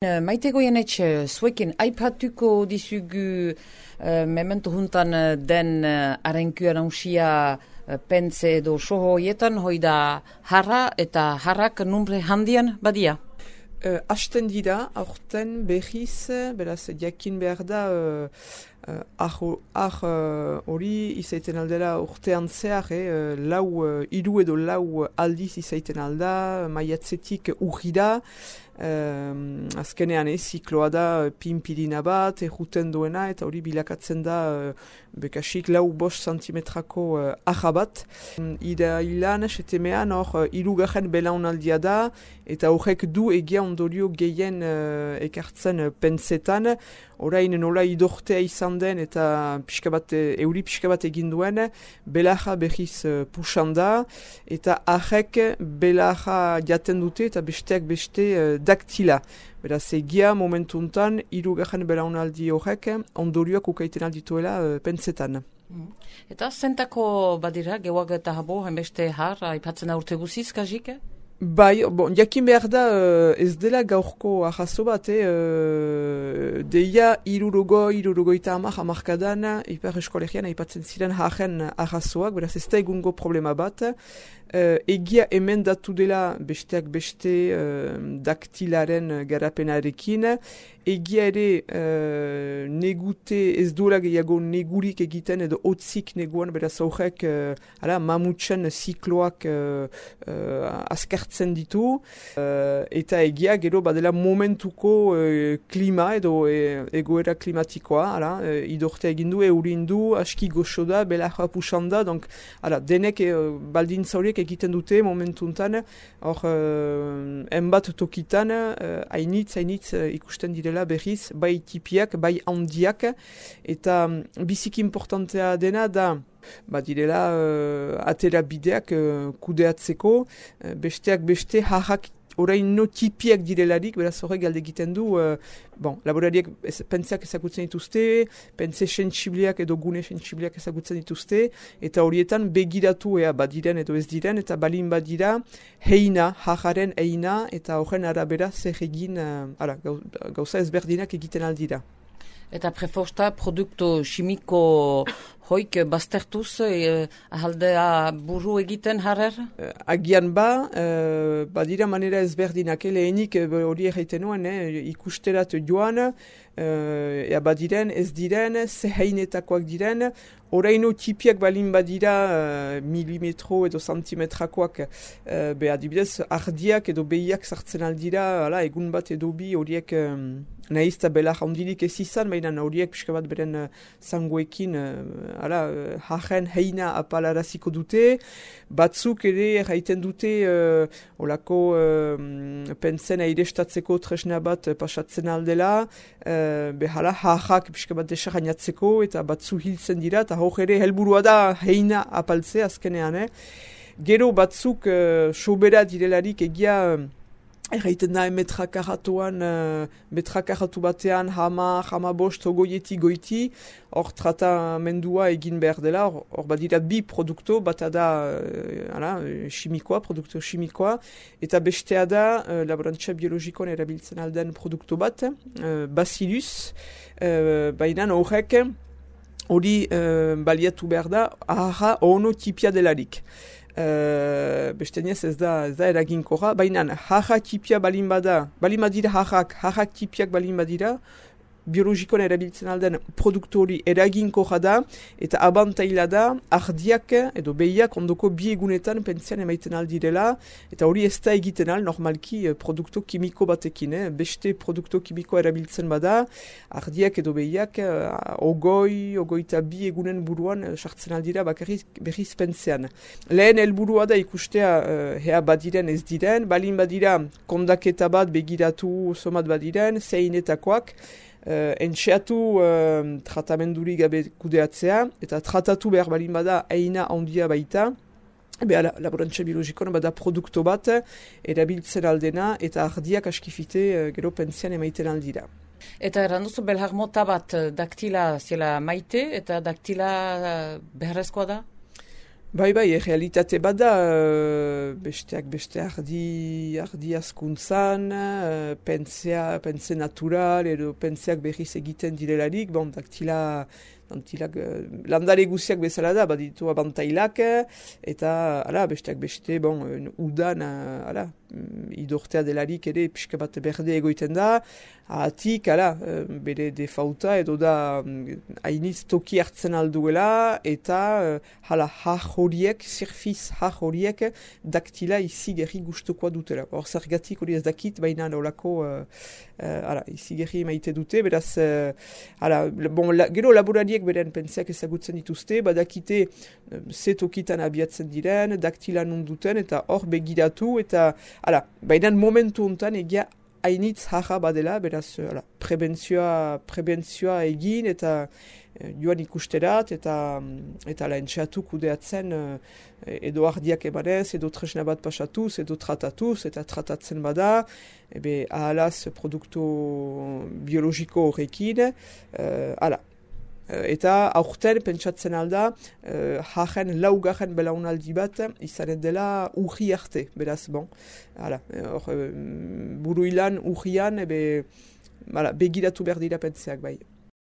Maite Goienetxe, zuekin aipatuko dizugu memento juntan den arenkuan nausia pentze edo soho hoietan, hoi da harra eta harrak numbre handian badia? Hasten dira, aurten behiz, beraz, jakin behar da, hori izaiten aldera urtean zehar, hiru edo lau aldiz izaiten alda, maiatzetik urrira, azkenean zikloa da pinpirina bat, erruten duena, eta hori bilakatzen da bekasik 4-5 santimetrako arra bat. Irailan, setemean, hor, hirugarren belaunaldia da, eta horrek du egia ondorio gehien ekartzen pentsetan, orain nola idortea izan den eta euri pixka bat egin duen, belarra behiz pusan da, eta arrek belarra jaten dute eta besteak beste daktila. Beraz, egia momentuntan, hirugarren belaunaldi horrek ondorioak ukaiten aldituela pentsetan. Eta zentako badira, gewak eta habo, hainbeste har, aipatzen aurte guziz, kajik? Bai, jakin behar da ez dela gaurko ahazo bat, deia irurogoita hamarkadan Ipar Eskolegian aipatzen ziren haren ahazoak, beraz ez da egungo problema bat. Egia hemen datu dela besteak beste daktilaren garapenarekin, egia ere negute ez duela gehiago negurik egiten edo otzik neguan, beraz horrek mamutsen zikloak azkartzen ditu, eta egia gero badela momentuko klima edo egoera klimatikoa, idortea egindu, eurindu, aski goxo da, belarra pusan da, denek baldintza horiek egiten dute momentuntan, hor enbat tokitan, hainitz ikusten direla berriz, bai tipiak, bai handiak, eta biziki importantea dena da, direla atera bideak kudeatzeko, besteak beste harrak orain no tipiak direlarik, beraz horrek galde egiten du, laborariek pentseak ezagutzen dituzte, pentse sentsibliak edo gune sentsibliak ezagutzen dituzte, eta horietan begiratu badiren edo ez diren, eta balin badira harraren heina, eta horren arabera zer egin, gauza ezberdinak egiten aldira. Eta preforsta produktu simiko hoik baztertuz ahaldea buru egiten harrer? Agian badira manera ezberdinak, lehenik hori egiten nuen, ikusterat joan, badiren, ez diren, zeheinetakoak diren, oraino tipiak balin badira milimetro edo santimetrakoak, adibidez, ardiak edo behiak sartzen aldira, egun bat edo bi horiek nahiz eta belar handirik ez izan, baina horiek pixka bat beren zangoekin haren heina apalaraziko dute, batzuk ere erraiten dute olako pentsen airestatzeko tresna bat pasatzen aldela, harrak pixka bat desarainatzeko eta batzu hiltzen dira, eta hor ere helburua da heina apaltzea azkenean. Gero batzuk sobera direlarik egia erraiten da metrakaratu batean hama bost goiti, hor tratamendua egin behar dela, hor badira bi produkto, bata da produkto chimikoa, eta bestea da laborantza biologikoan erabiltzen alden produkto bat, Bacillus, baina horrek hori baliatu behar da, aharra ono tipia delarik. Besteniez ez da eraginkorra, baina harrak tipia balin badira harrak tipiak balin badira, biologikoan erabiltzen alden produktori eraginkorra da, eta abantaila da, ardiak edo behiak ondoko bi egunetan pentsean emaiten aldirela, eta hori ez da egiten al, normalki produkto kimiko batekin, beste produkto kimiko erabiltzen bada, ardiak edo behiak ogoita bi egunen buruan sartzen aldira berriz pentsean. Lehen helburua da ikustea badiren ez diren, balin badira kondaketa bat begiratu somat badiren, zeinetakoak, entxeatu tratamenduri gabe kudeatzea, eta tratatu behar balin bada heina handia baita, laborantza biologikoan bada produkto bat erabiltzen aldena, eta ardiak askifite gero pentsean emaiten aldira. Eta erranduzu belhar mota bat daktila zela maite, eta daktila beharrezkoa da? Bai, realitate bat da, besteak beste ardi askuntzan, pense natural, edo penseak berriz egiten direlarik, daktila, landare guziak bezala da, baditu abantailak, eta, besteak beste, udan, idortea delarik ere, pixka bat berde egoiten da, atik, bere defauta, edo da, hainiz toki hartzen alduela, eta, horiek, zerfiz horiek, daktila izi gerri gustukoa dutela. Hor zergatik hori ez dakit, baina olako, izi gerri maite dute, beraz, gero laborariek beren pentsiak ezagutzen dituzte, badakite ze tokitan abiatzen diren, daktila nunduten, eta hor begiratu, eta, baina momentu hontan egia hainitz jaja badela, beraz, prebentzioa egin, eta joan ikusterat, eta entxeatu kudeatzen edo ardiak emanez, edo tresna bat pasatuz, edo tratatuz, eta tratatzen bada, ahalaz produktu biologiko horrekin, eta aurten pentsatzen alda, laugarren belaunaldi bat izanen dela urri arte, beraz, buruilan urrian, begiratu behar dira pentseak bai.